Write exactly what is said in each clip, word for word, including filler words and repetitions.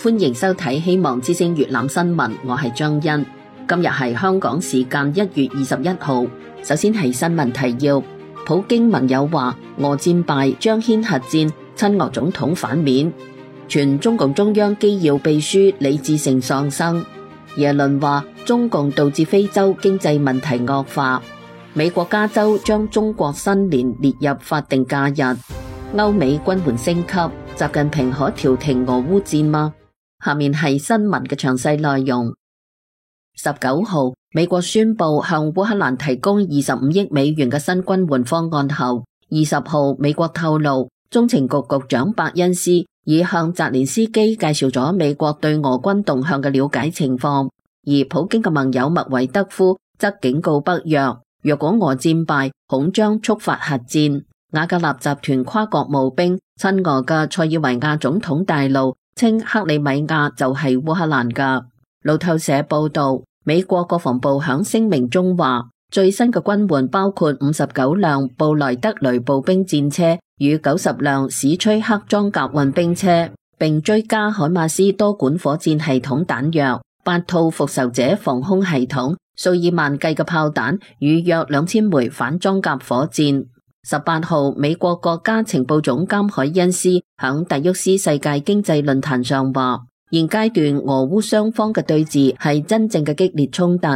歡迎收睇希望之聲粵覽新聞，我係張欣。今日係香港時間一月二十一號。首先係新聞提要：普京盟友話俄戰敗將掀核戰，親俄總統反面。傳中共中央機要秘書李志成喪生。耶倫話中共導致非洲經濟問題惡化。美國加州將中國新年列入法定假日。歐美軍援升級，習近平可調停俄烏戰嗎？下面係新聞嘅詳細內容。十九號，美國宣布向烏克蘭提供二十五億美元嘅新軍援方案後，二十號美國透露，中情局局長伯恩斯已向澤連斯基介紹咗美國對俄軍動向嘅了解情況，而普京嘅盟友麥維德夫則警告北約，若果俄戰敗，恐將觸發核戰。瓦格納集團跨國募兵親俄嘅塞爾維亞總統大怒，稱克里米亞就係烏克蘭㗎。路透社報道，美國國防部響聲明中話，最新嘅軍援包括五十九輛布萊德雷步兵戰車與九十輛史崔克裝甲運兵車，並追加海馬斯多管火箭系統彈藥、八套復仇者防空系統、數以萬計嘅炮彈與約兩千枚反裝甲火箭。十八號，美國國家情報總監海恩斯響達沃斯世界經濟論壇上話，現階段俄烏雙方嘅對峙係真正嘅激烈衝突。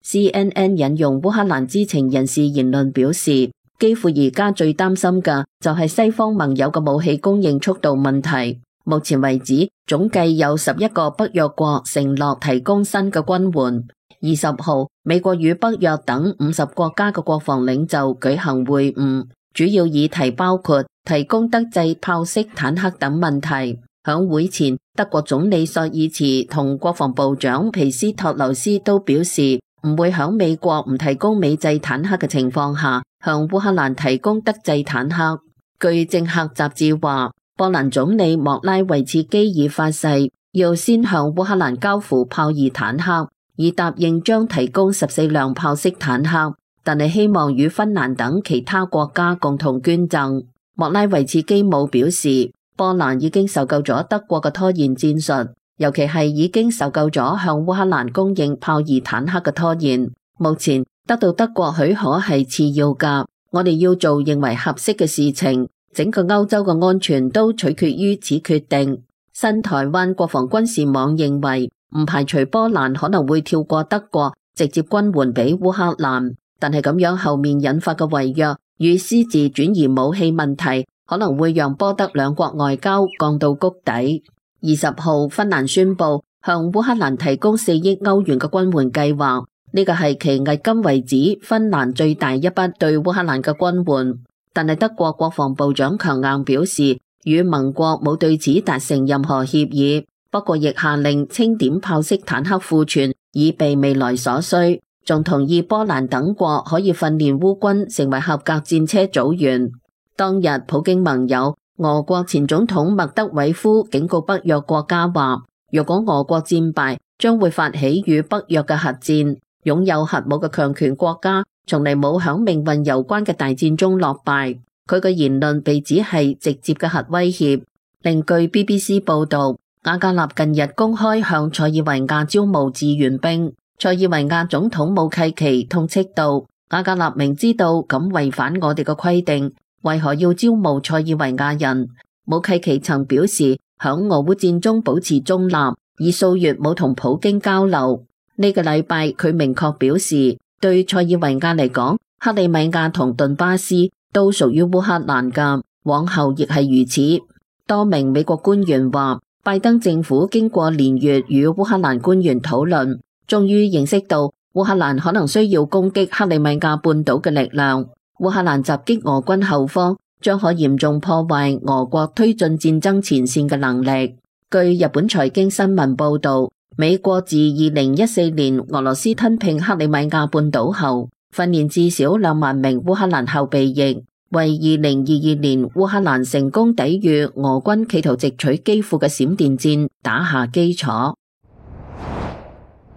C N N 引用烏克蘭知情人士言論表示，幾乎而家最擔心嘅就係西方盟友嘅武器供應速度問題。目前為止，總計有十一個北約國承諾提供新嘅軍援。二十號，美國與北約等五十國家嘅國防領袖舉行會晤，主要議題包括提供德製豹式坦克等問題。響會前，德國總理朔爾茨同國防部長皮斯托留斯都表示，唔會響美國唔提供美製坦克嘅情況下，向烏克蘭提供德製坦克。據政客雜誌話，波蘭總理莫拉維茨基已發誓，要先向烏克蘭交付豹二坦克，已答應將提供十四輛豹式坦克，但係希望與芬蘭等其他國家共同捐贈。莫拉維茨基姆表示，波蘭已經受夠咗德國嘅拖延戰術，尤其係已經受夠咗向烏克蘭供應豹二坦克嘅拖延。目前得到德國許可係次要㗎，我哋要做認為合適嘅事情，整個歐洲嘅安全都取決於此決定。新台灣國防軍事網認為，唔排除波蘭可能會跳過德國，直接軍援俾烏克蘭，但係咁樣後面引發嘅違約與私自轉移武器問題，可能會讓波德兩國外交降到谷底。二十號，芬蘭宣布向烏克蘭提供四億歐元嘅軍援計劃，呢個係其迄今為止芬蘭最大一筆對烏克蘭嘅軍援。但係德國國防部長強硬表示，與盟國冇對此達成任何協議。不過亦下令清點豹式坦克庫存，以備未來所需，仲同意波蘭等國可以訓練烏軍成為合格戰車組員。當日普京盟友俄國前總統麥德韋夫警告北約國家話，若果俄國戰敗，將會發起與北約嘅核戰。擁有核武嘅強權國家從嚟冇響命運攸關嘅大戰中落敗。佢嘅言論被指係直接嘅核威脅。另據 B B C 報道，瓦格納近日公開向塞爾維亞招募志願兵，塞爾維亞總統武契奇痛斥道，瓦格納明知道咁違反我哋嘅規定，為何要招募塞爾維亞人？武契奇曾表示響俄烏戰中保持中立，已數月冇同普京交流。呢個禮拜佢明確表示，對塞爾維亞嚟講，克里米亞同頓巴斯都屬於烏克蘭㗎，往後亦係如此。多名美國官員話，拜登政府經過連月與烏克蘭官員討論，終於認識到烏克蘭可能需要攻擊克里米亞半島嘅力量。烏克蘭襲擊俄軍後方，將可嚴重破壞俄國推進戰爭前線嘅能力。據日本財經新聞報道，美國自二零一四年俄羅斯吞併克里米亞半島後，訓練至少兩萬名烏克蘭後備役，為二零二二年烏克蘭成功抵禦俄軍企圖直取基輔嘅閃電戰打下基礎。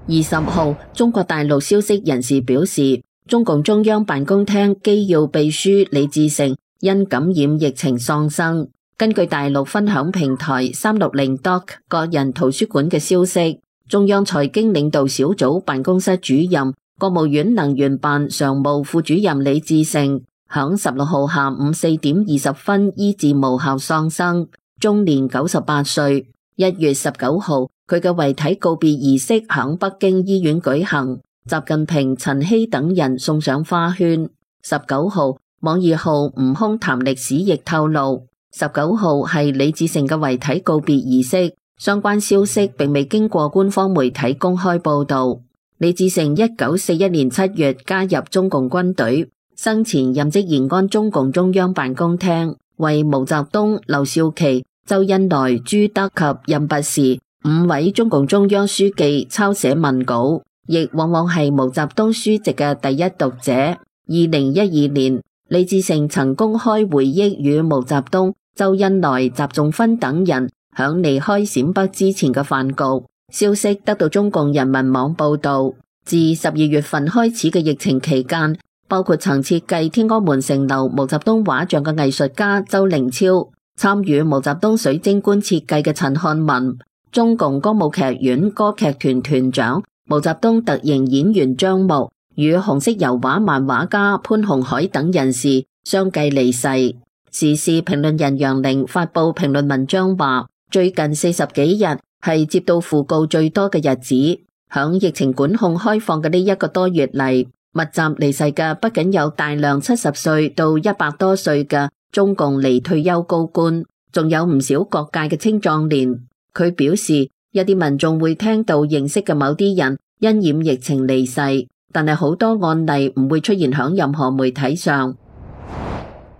二十號，中國大陸消息人士表示，中共中央辦公廳機要秘書李志成因感染疫情喪生。根據大陸分享平台三六零 Doc 個人圖書館嘅消息，中央財經領導小組辦公室主任、國務院能源辦常務副主任李志盛響十六號下午四點二十分醫治無效喪生，終年九十八歲。一月十九號，佢嘅遺體告別儀式響北京醫院舉行，習近平、陳希等人送上花圈。十九號，網易號悟空談歷史亦透露，十九號係李志盛嘅遺體告別儀式，相關消息並未經過官方媒體公開報道。李志盛一九四一年七月加入中共軍隊，生前任職延安中共中央辦公廳，為毛澤東、劉少奇、周恩來、朱德及任弼時五位中共中央書記抄寫文稿，亦往往係毛澤東書籍嘅第一讀者。二零一二年，李志盛曾公開回憶與毛澤東、周恩來、習仲勳等人響離開陝北之前嘅飯局。消息得到中共人民網報道，自十二月份開始嘅疫情期間，包括曾設計天安門城樓毛澤東畫像嘅藝術家周凌超，參與毛澤東水晶棺設計嘅陳漢文，中共歌舞劇院歌劇團團長、毛澤東特型演員張木，與紅色油畫漫畫家潘鴻海等人士相繼離世。時事評論人楊玲發佈評論文章話，最近四十幾日係接到訃告最多嘅日子，響疫情管控開放嘅呢一個多月嚟，密集離世嘅不僅有大量七十歲到一百多歲嘅中共離退休高官，仲有唔少各界嘅青壯年。佢表示，一啲民眾會聽到認識嘅某啲人因染疫情離世，但係好多案例唔會出現響任何媒體上。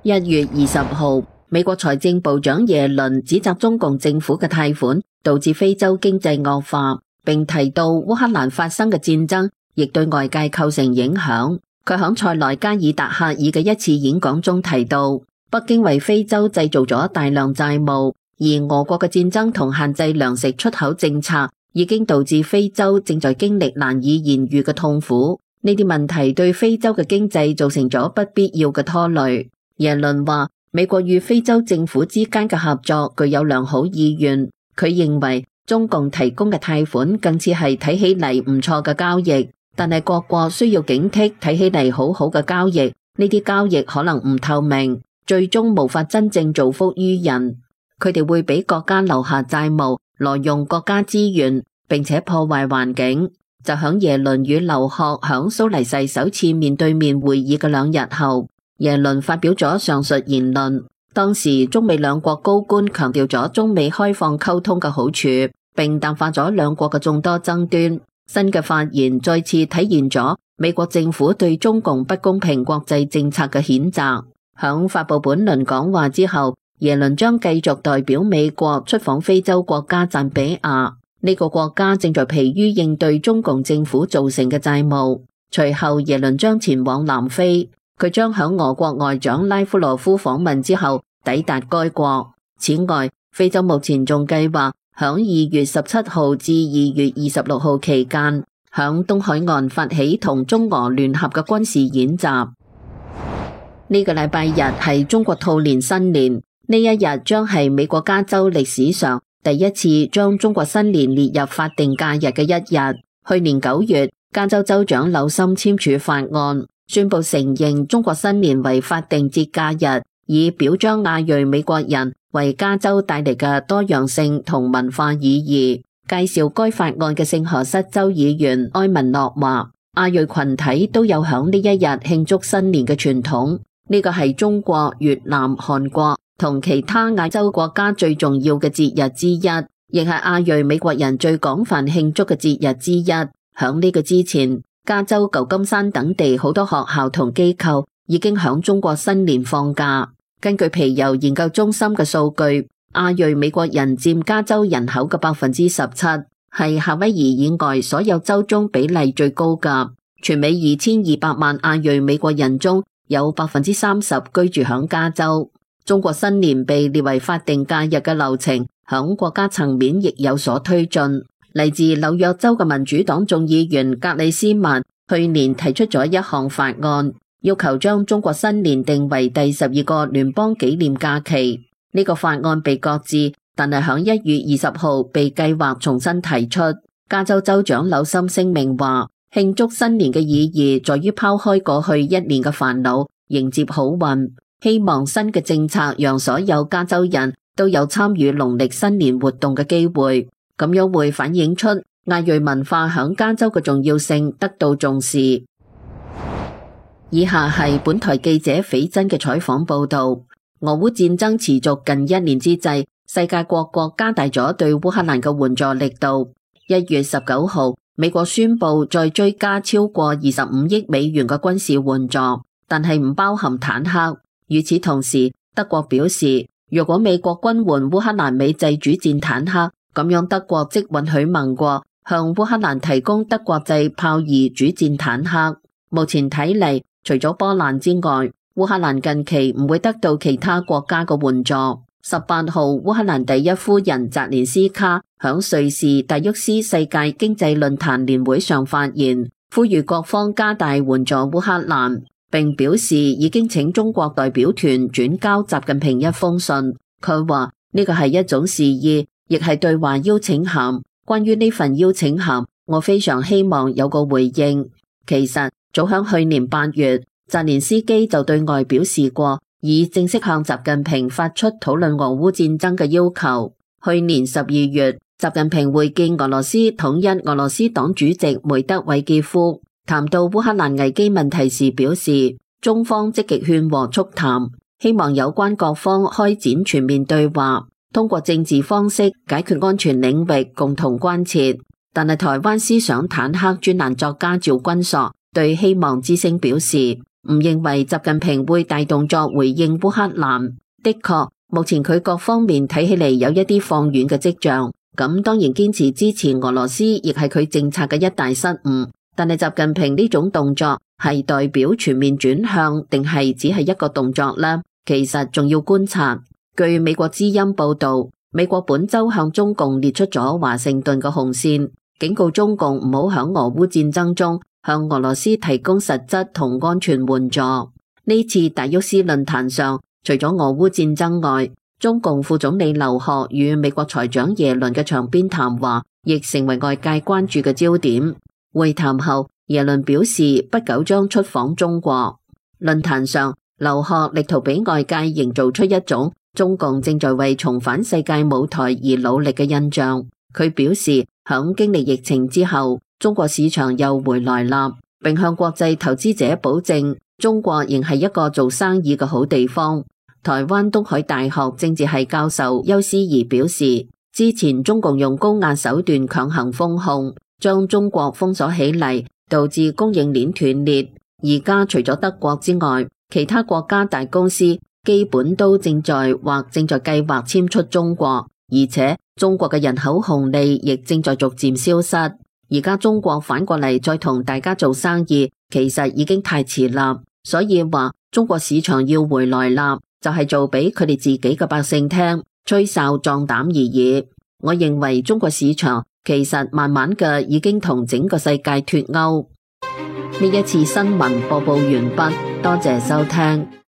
一月二十號，美國財政部長耶倫指責中共政府嘅貸款導致非洲經濟惡化，並提到烏克蘭發生嘅戰爭亦對外界構成影響。佢響塞內加爾達克爾嘅一次演講中提到，北京為非洲製造咗大量債務，而俄國嘅戰爭同限制糧食出口政策已經導致非洲正在經歷難以言喻嘅痛苦。呢啲問題對非洲嘅經濟造成咗不必要嘅拖累。耶倫話，美國與非洲政府之間嘅合作具有良好意願。佢認為中共提供嘅貸款更似係睇起嚟唔錯嘅交易，但係各國需要警惕睇起嚟好好嘅交易，呢啲交易可能唔透明，最終無法真正造福於人。佢哋會俾國家留下債務，挪用國家資源，並且破壞環境。就響耶倫與劉鶴響蘇黎世首次面對面會議嘅兩日後，耶倫發表咗上述言論。當時中美兩國高官強調咗中美開放溝通嘅好處，並淡化咗兩國嘅眾多爭端。新嘅發言再次體現咗美國政府對中共不公平國際政策嘅譴責。響發佈本輪講話之後，耶倫將繼續代表美國出訪非洲國家贊比亞。呢個國家正在疲於應對中共政府造成嘅債務。隨後耶倫將前往南非。佢將響俄國外長拉夫羅夫訪問之後抵達該國。此外，非洲目前仲計劃響二月十七號至二月二十六號期間，響東海岸發起同中俄聯合嘅軍事演習。呢個禮拜日係中國兔年新年，呢一日將係美國加州歷史上第一次將中國新年列入法定假日嘅一日。去年九月，加州州長紐森簽署法案，宣布承認中國新年為法定節假日，以表彰亞裔美國人為加州帶嚟嘅多樣性同文化意義。介紹該法案嘅聖荷瑟州議員埃文諾話，亞裔群體都有響呢一日慶祝新年嘅傳統，呢個係中國、越南、韓國同其他亞洲國家最重要嘅節日之一，亦係亞裔美國人最廣泛慶祝嘅節日之一。響呢個之前，加州、舊金山等地好多學校同機構已經響中國新年放假。根據皮尤研究中心嘅數據，亞裔美國人佔加州人口嘅百分之十七，係夏威夷以外所有州中比例最高㗎。全美二千二百萬亞裔美國人中有百分之三十居住響加州。中國新年被列為法定假日嘅流程，響國家層面亦有所推進。嚟自紐約州嘅民主黨眾議員格里斯曼去年提出咗一項法案，要求將中國新年定為第十二個聯邦紀念假期。呢個法案被擱置，但係響一月二十號被計劃重新提出。加州州長紐森聲明話，慶祝新年嘅意義在於拋開過去一年嘅煩惱，迎接好運。希望新嘅政策讓所有加州人都有參與農曆新年活動嘅機會，咁樣會反映出亞裔文化響加州嘅重要性得到重視。以下係本台記者斐真嘅採訪報道。俄烏戰爭持續近一年之際，世界各國加大咗對烏克蘭嘅援助力度。一月十九號，美國宣布再追加超過二十五億美元嘅軍事援助，但係唔包含坦克。與此同時，德國表示，如果美國軍援烏克蘭美製主戰坦克，咁樣德國即允許盟國向烏克蘭提供德國製豹二主戰坦克。目前睇嚟，除咗波蘭之外，烏克蘭近期唔會得到其他國家嘅援助。十八號，烏克蘭第一夫人澤連斯卡響瑞士達沃斯世界經濟論壇年會上發言，呼籲各方加大援助烏克蘭，並表示已經請中國代表團轉交習近平一封信。佢話呢個係一種示意，亦係對話邀請函。關於呢份邀請函，我非常希望有個回應。其實早響去年八月，澤連斯基就對外表示過，已正式向習近平發出討論俄烏戰爭嘅要求。去年十二月，習近平會見俄羅斯統一俄羅斯黨主席梅德韋傑夫，談到烏克蘭危機問題時表示，中方積極勸和促談，希望有關各方開展全面對話，通過政治方式解決安全領域共同關切。但係台灣思想坦克專欄作家趙君碩對希望之聲表示，唔認為習近平會大動作回應烏克蘭。的確，目前佢各方面睇起嚟有一啲放軟嘅跡象。咁當然堅持支持俄羅斯，亦係佢政策嘅一大失誤。但係習近平呢種動作係代表全面轉向，定係只係一個動作呢？其實仲要觀察。據美國之音報道，美國本周向中共列出咗華盛頓嘅紅線，警告中共唔好響俄烏戰爭中向俄羅斯提供實質同安全援助。呢次達沃斯論壇上，除咗俄烏戰爭外，中共副總理劉鶴與美國財長耶倫嘅場邊談話，亦成為外界關注嘅焦點。會談後，耶倫表示不久將出訪中國。論壇上，劉鶴力圖俾外界營造出一種中共正在為重返世界舞台而努力嘅印象。佢表示，響經歷疫情之後，中國市場又回來啦，並向國際投資者保證，中國仍係一個做生意嘅好地方。台灣東海大學政治系教授邱思怡表示，之前中共用高壓手段強行封控，將中國封鎖起嚟，導致供應鏈斷裂。而家除咗德國之外，其他國家大公司基本都正在或正在計劃遷出中國，而且中國嘅人口紅利亦正在逐漸消失。而家中國反過嚟再同大家做生意，其實已經太遲啦。所以話中國市場要回來啦，就係做俾佢哋自己嘅百姓聽，吹哨壯膽而已。我認為中國市場其實慢慢嘅已經同整個世界脫鈎。呢一次新聞播報完畢，多謝收聽。